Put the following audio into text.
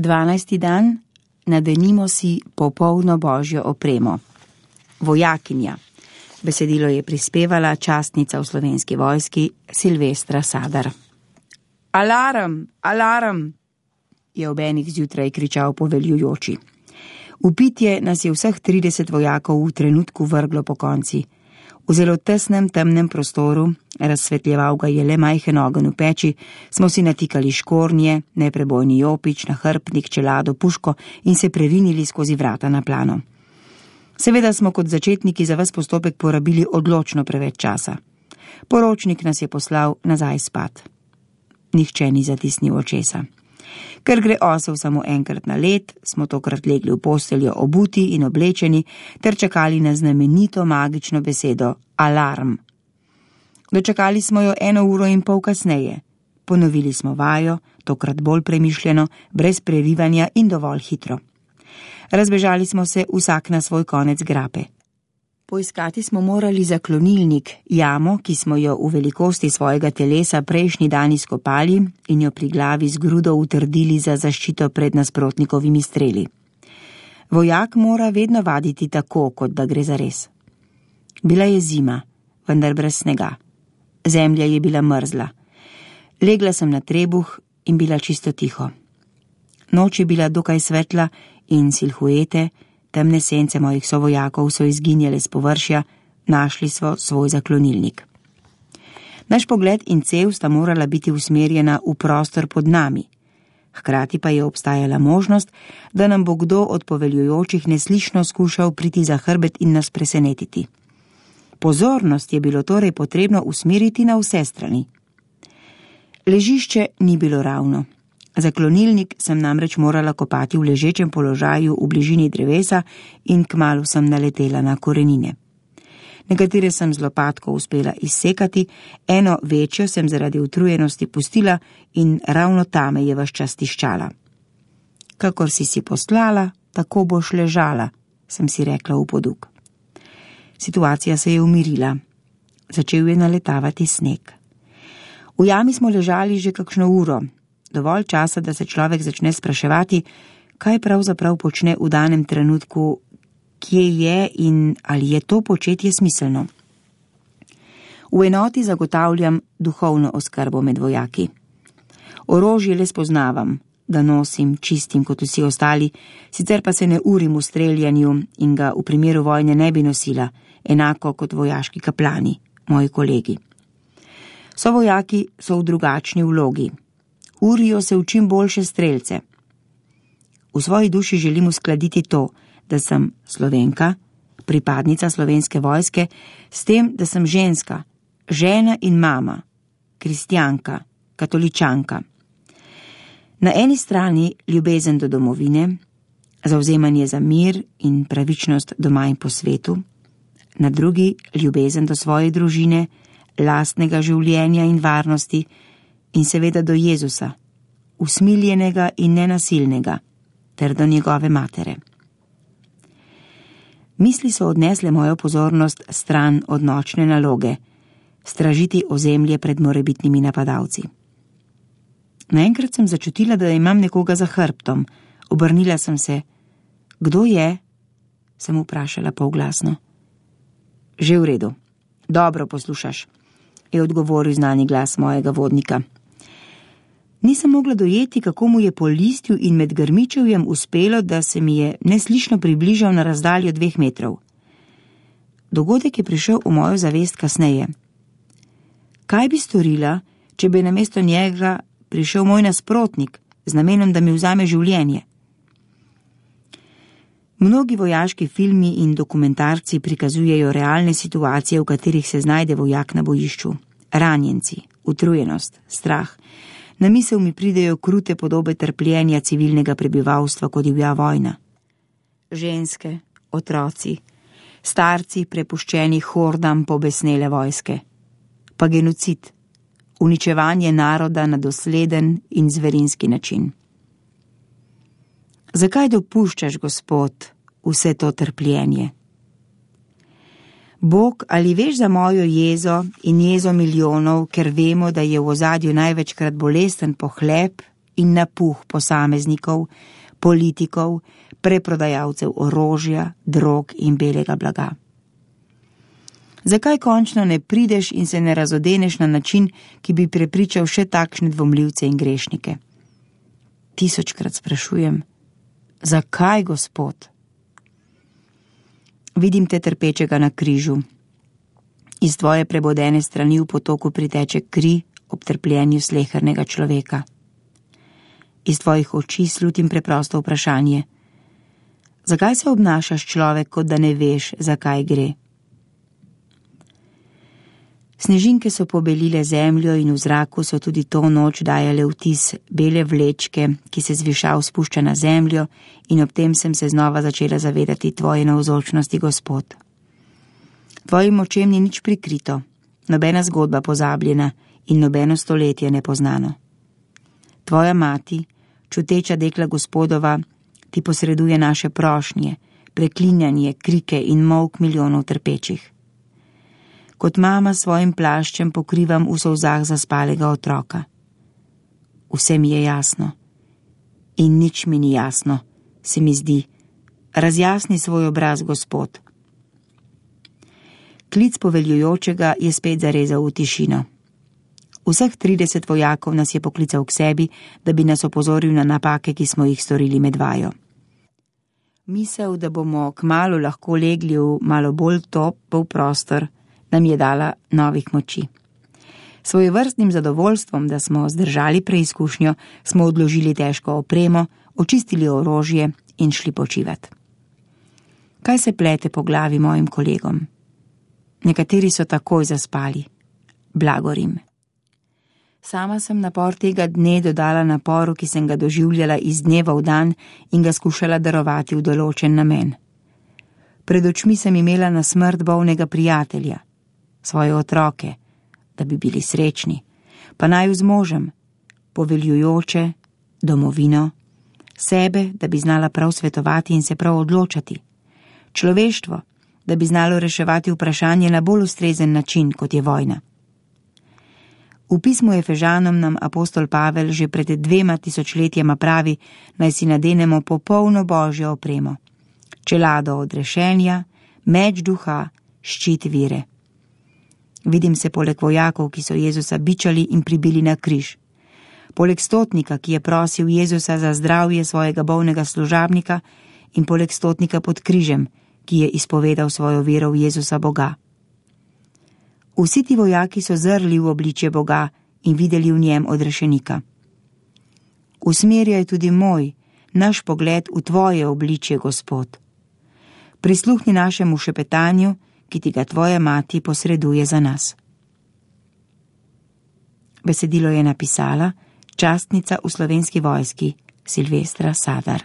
12. dan, nadenimo si popolno božjo opremo. Vojakinja. Besedilo je prispevala častnica v Slovenski vojski Silvestra Sadar. Alarm, alarm, je ob enih zjutraj kričal poveljujoči. V pitje nas je vseh 30 vojakov v trenutku vrglo po konci. V zelo tesnem, temnem prostoru, razsvetljeval ga je le majhen ogenj v peči, smo si natikali škornje, neprebojni jopič, nahrbtnik, čelado, puško in se prerinili skozi vrata na plano. Seveda smo kot začetniki za ves postopek porabili odločno preveč časa. Poročnik nas je poslal nazaj spat. Nihče ni zatisnil očesa. Ker gre osel samo enkrat na let, smo tokrat legli v posteljo obuti in oblečeni ter čakali na znamenito magično besedo alarm. Dočakali smo jo 1 uro in pol kasneje. Ponovili smo vajo, tokrat bolj premišljeno, brez prerivanja in dovolj hitro. Razbežali smo se vsak na svoj konec grape. Poiskati smo morali zaklonilnik, jamo, ki smo jo v velikosti svojega telesa prejšnji dan izkopali in jo pri glavi z grudo utrdili za zaščito pred nasprotnikovimi streli. Vojak mora vedno vaditi tako, kot da gre zares. Bila je zima, vendar brez snega. Zemlja je bila mrzla. Legla sem na trebuh in bila čisto tiho. Noč je bila dokaj svetla in silhuete, temne sence mojih sovojakov so izginjale z površja, našli smo svoj zaklonilnik. Naš pogled in cev sta morala biti usmerjena v prostor pod nami. Hkrati pa je obstajala možnost, da nam bo kdo od poveljujočih neslišno skušal priti za hrbet in nas presenetiti. Pozornost je bilo torej potrebno usmeriti na vse strani. Ležišče ni bilo ravno. Zaklonilnik sem namreč morala kopati v ležečem položaju v bližini drevesa in kmalu sem naletela na korenine. Nekatere sem z lopatko uspela izsekati, eno večjo sem zaradi utrujenosti pustila in ravno ta me je ves čas tiščala. Kakor si poslala, tako boš ležala, sem si rekla v poduk. Situacija se je umirila. Začel je naletavati sneg. V jami smo ležali že kakšno uro. Dovolj časa, da se človek začne spraševati, kaj pravzaprav počne v danem trenutku, kje je in ali je to početje smiselno. V enoti zagotavljam duhovno oskrbo med vojaki. Orožje le spoznavam, ga nosim, čistim kot vsi ostali, sicer pa se ne urim v streljanju in ga v primeru vojne ne bi nosila, enako kot vojaški kaplani, moji kolegi. Sovojaki so v drugačni vlogi. Urijo se v čim boljše strelce. V svoji duši želim uskladiti to, da sem Slovenka, pripadnica Slovenske vojske, s tem, da sem ženska, žena in mama, kristjanka, katoličanka. Na eni strani ljubezen do domovine, zavzemanje za mir in pravičnost doma in po svetu, na drugi ljubezen do svoje družine, lastnega življenja in varnosti, in seveda do Jezusa, usmiljenega in nenasilnega, ter do njegove matere. Misli so odnesle mojo pozornost stran od nočne naloge, stražiti ozemlje pred morebitnimi napadalci. Naenkrat sem začutila, da imam nekoga za hrbtom. Obrnila sem se. Kdo je? Sem vprašala polglasno. Že v redu. Dobro poslušaš, je odgovoril znani glas mojega vodnika. Nisem mogla dojeti, kako mu je po listju in med grmičevjem uspelo, da se mi je neslišno približal na razdaljo 2 metrov. Dogodek je prišel v mojo zavest kasneje. Kaj bi storila, če bi namesto njega prišel moj nasprotnik z namenom, da mi vzame življenje? Mnogi vojaški filmi in dokumentarci prikazujejo realne situacije, v katerih se znajde vojak na bojišču. Ranjenci, utrujenost, strah. Na misel mi pridejo krute podobe trpljenja civilnega prebivalstva, ko divja vojna. Ženske, otroci, starci prepuščeni hordam pobesnele vojske. Pa genocid, uničevanje naroda na dosleden in zverinski način. Zakaj dopuščaš, Gospod, vse to trpljenje? Bog, ali veš za mojo jezo in jezo milijonov, ker vemo, da je v ozadju največkrat bolesten pohlep in napuh posameznikov, politikov, preprodajalcev orožja, drog in belega blaga. Zakaj končno ne prideš in se ne razodeneš na način, ki bi prepričal še takšne dvomljivce in grešnike? Tisočkrat sprašujem, zakaj, Gospod? Vidim te trpečega na križu. Iz tvoje prebodene strani v potoku priteče kri ob trpljenju slehernega človeka. Iz tvojih oči slutim preprosto vprašanje. Zakaj se obnašaš, človek, kot da ne veš, zakaj gre? Snežinke so pobelile zemljo in v zraku so tudi to noč dajale vtis bele vlečke, ki se zvišav spušča na zemljo, in ob tem sem se znova začela zavedati tvoje navzočnosti, Gospod. Tvojim očem ni nič prikrito, nobena zgodba pozabljena in nobeno stoletje nepoznano. Tvoja mati, čuteča dekla Gospodova, ti posreduje naše prošnje, preklinjanje, krike in molk milijonov trpečih. Kot mama svojim plaščem pokrivam v solzah zaspalega otroka. Vse mi je jasno. In nič mi ni jasno, se mi zdi. Razjasni svoj obraz, Gospod. Klic poveljujočega je spet zarezal v tišino. Vseh 30 vojakov nas je poklical k sebi, da bi nas opozoril na napake, ki smo jih storili med vajo. Misel, da bomo kmalu lahko legli v malo bolj topel prostor, nam je dala novih moči. Svojevrstnim zadovoljstvom, da smo zdržali preizkušnjo, smo odložili težko opremo, očistili orožje in šli počivat. Kaj se plete po glavi mojim kolegom? Nekateri so takoj zaspali. Blagorim. Sama sem napor tega dne dodala naporu, ki sem ga doživljala iz dneva v dan in ga skušala darovati v določen namen. Pred očmi sem imela na smrt bolnega prijatelja, svoje otroke, da bi bili srečni, pa naju z možem, poveljujoče, domovino, sebe, da bi znala prav svetovati in se prav odločati, človeštvo, da bi znalo reševati vprašanje na bolj ustrezen način, kot je vojna. V pismu Efežanom nam apostol Pavel že pred 2000 letjema pravi, naj si nadenemo popolno božjo opremo, čelado odrešenja, meč duha, ščit vire. Vidim se poleg vojakov, ki so Jezusa bičali in pribili na križ. Poleg stotnika, ki je prosil Jezusa za zdravje svojega bolnega služabnika, in poleg stotnika pod križem, ki je izpovedal svojo vero v Jezusa Boga. Vsi ti vojaki so zrli v obličje Boga in videli v njem odrešenika. Usmerjaj tudi moj, naš pogled v tvoje obličje, Gospod. Prisluhni našemu šepetanju, ki ti ga tvoja mati posreduje za nas. Besedilo je napisala častnica v Slovenski vojski Silvestra Sadar.